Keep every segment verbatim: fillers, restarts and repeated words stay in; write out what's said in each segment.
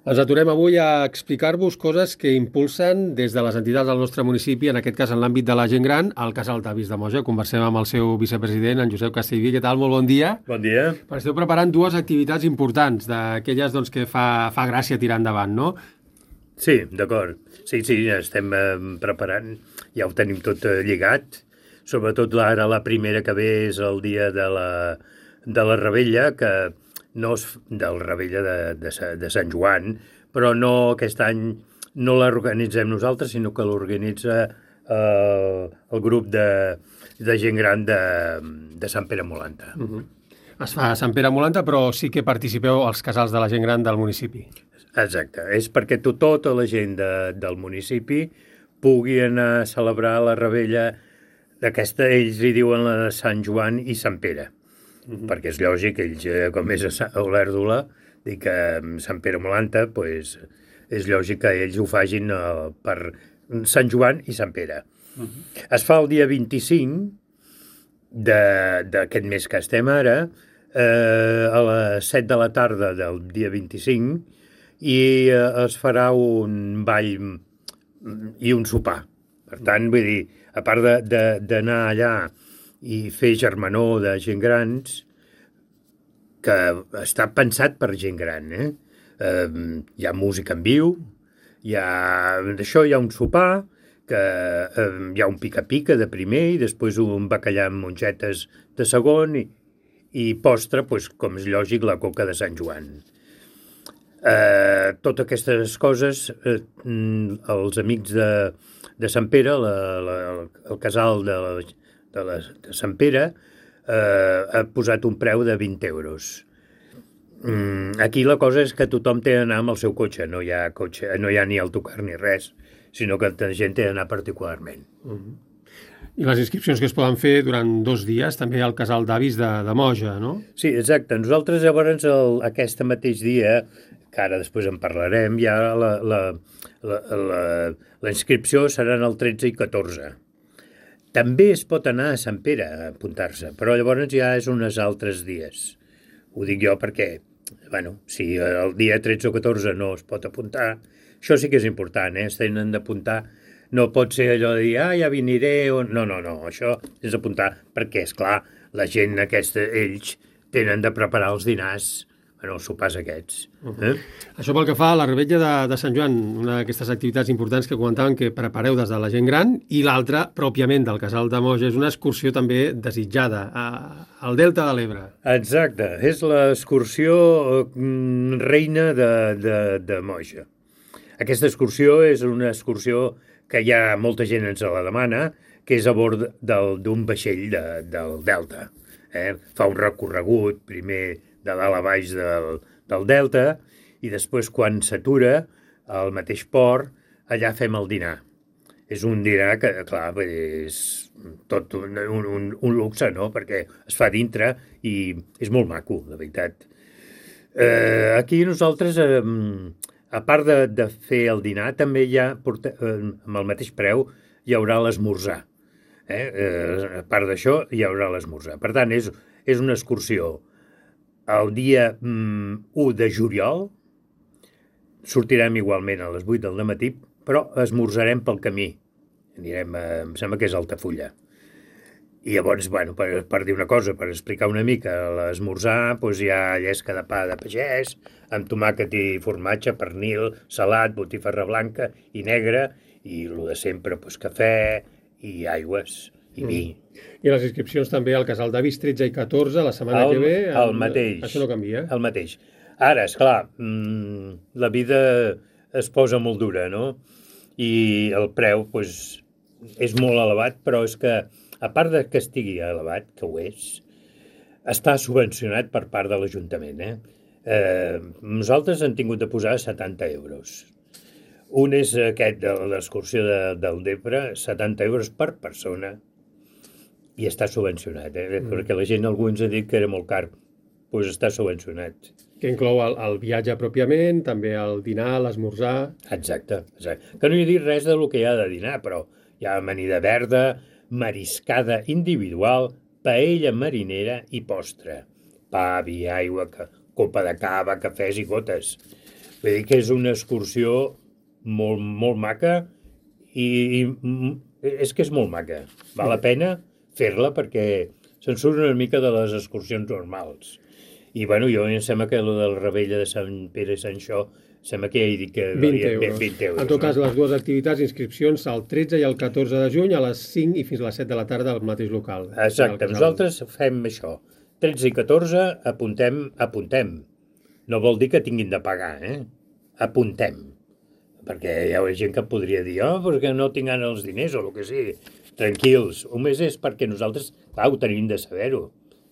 Ens aturem avui a explicar-vos coses que impulsen des de les entitats del nostre municipi, en aquest cas en l'àmbit de la gent gran, al Casal d'Avis de Moja. Conversem amb el seu vicepresident, en Josep Castellví. Què tal? Molt bon dia. Bon dia. Esteu preparant dues activitats importants, d'aquelles doncs, que fa, fa gràcia tirar endavant, no? Sí, d'acord. Sí, sí, ja estem eh, preparant, ja ho tenim tot eh, lligat. Sobretot ara la primera que ve és el dia de la, de la Rebella, que no és del Rebella de, de, de Sant Joan, però no aquest any no l'organitzem nosaltres, sinó que l'organitza eh, el grup de, de gent gran de, de Sant Pere Molanta. Uh-huh. Es fa a Sant Pere Molanta, però sí que participeu als casals de la gent gran del municipi. Exacte, és perquè to, tota la gent de, del municipi pugui anar a celebrar la Rebella d'aquesta, ells li diuen la de Sant Joan i Sant Pere. Uh-huh. Perquè és lògic, ells, com és a Olèrdola, dic que Sant Pere Molanta, pues, és lògic que ells ho fagin uh, per Sant Joan i Sant Pere. Uh-huh. Es fa el dia vint-i-cinc d'aquest mes que estem ara, eh, a les set de la tarda del dia vint-i-cinc, i eh, es farà un ball i un sopar. Per tant, vull dir, a part d'anar allà i fer germanor de gent grans, que està pensat per gent gran, eh? Eh, hi ha música en viu, hi ha, d'això hi ha un sopar, que eh, hi ha un pica-pica de primer i després un bacallà amb mongetes de segon i, i postre, pues, com és lògic, la coca de Sant Joan. Eh, totes aquestes coses, eh, els amics de, de Sant Pere, la, la, el casal de la de, la, de Sant Pere, eh, ha posat un preu de vint euros. Mm, aquí la cosa és que tothom té d'anar amb el seu cotxe, no hi ha cotxe, no hi ha ni autocar ni res, sinó que la gent té d'anar particularment. Uh-huh. I les inscripcions que es poden fer durant dos dies, també al Casal d'Avis de, de Moja, no? Sí, exacte. Nosaltres llavors el, aquest mateix dia, que ara després en parlarem, ja la, la, la, la, la inscripció seran el tretze i catorze. També es pot anar a Sant Pere a apuntar-se, però llavors ja és uns altres dies. Ho dic jo perquè, bueno, si el dia tretze o catorze no es pot apuntar, això sí que és important, eh? Es tenen d'apuntar. No pot ser allò de dir, ah, ja viniré, o... no, no, no, això és apuntar, perquè, és clar, la gent aquesta, ells, tenen de preparar els dinars, bueno, els sopars aquests. Eh? Això pel que fa a la Rebella de, de Sant Joan, una d'aquestes activitats importants que comentaven que prepareu des de la gent gran, i l'altra, pròpiament, del Casal de Moja, és una excursió també desitjada, a, al Delta de l'Ebre. Exacte, és l'excursió mm, reina de, de, de Moja. Aquesta excursió és una excursió que ja molta gent ens la demana, que és a bord d'un vaixell de, del Delta. Eh? Fa un recorregut, primer de dalt a baix del, del Delta, i després, quan s'atura al mateix port, allà fem el dinar. És un dinar que, clar, és tot un, un, un luxe, no?, perquè es fa dintre i és molt maco, la veritat. Eh, aquí nosaltres, eh, a part de, de fer el dinar, també hi ha, porta, eh, amb el mateix preu, hi haurà l'esmorzar. Eh? Eh, a part d'això, hi haurà l'esmorzar. Per tant, és, és una excursió. El dia mm, u de juliol sortirem igualment a les vuit del matí, però esmorzarem pel camí. Anirem, a, em sembla que és Altafulla. I llavors, bueno, per, per dir una cosa, per explicar una mica, l'esmorzar, doncs hi ha llesca de pa de pagès, amb tomàquet i formatge, pernil, salat, botifarra blanca i negra, i el de sempre, doncs cafè i aigües i vi. Mm. I les inscripcions també al Casal d'Avis tretze i catorze, la setmana el, que ve... El, el mateix. Això no canvia. El mateix. Ara, esclar, mmm, la vida es posa molt dura, no? I el preu, doncs, és molt elevat, però és que, a part de que estigui elevat, que ho és, està subvencionat per part de l'Ajuntament, eh? eh nosaltres hem tingut de posar setanta euros. Un és aquest de l'excursió de, del Depre, setanta euros per persona, i està subvencionat, eh? Mm. Perquè la gent, algú ens ha dit que era molt car, doncs està subvencionat. Que inclou el, el viatge pròpiament, també el dinar, l'esmorzar... Exacte, exacte. Que no hi he dit res del que hi ha de dinar, però hi ha amanida verda, mariscada individual, paella marinera i postre. Pa, vi, aigua, copa de cava, cafès i gotes. Vull dir que és una excursió molt, molt maca i, i és que és molt maca. Val la pena fer-la perquè se'n surt una mica de les excursions normals. I, bueno, jo em sembla que el del Rebella de Sant Pere i Sant Xó, sembla que ja he dit que... vint euros. vint euros. En tot cas, les dues activitats, inscripcions el tretze i el catorze de juny a les cinc i fins a les set de la tarda al mateix local. Exacte, nosaltres fem això. tretze i catorze apuntem, apuntem. No vol dir que tinguin de pagar, eh? Apuntem. Perquè hi ha gent que podria dir, oh, perquè no tinguin els diners o el que sigui. Tranquils. Només és perquè nosaltres, clar, ho tenim de saber-ho.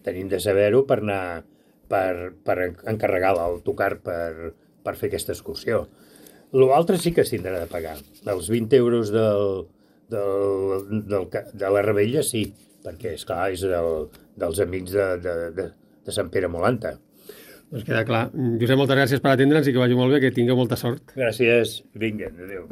Tenim de saber-ho per anar, per, per encarregar l'autocar per, per fer aquesta excursió. L'altre sí que s'hindrà de pagar. Els vint euros del, del, del, de la Rebella sí, perquè, esclar, és del, dels amics de, de, de, de Sant Pere Molanta. Doncs queda clar. Josep, moltes gràcies per atendre'ns i que vagi molt bé, que tingueu molta sort. Gràcies. Vinga, adéu.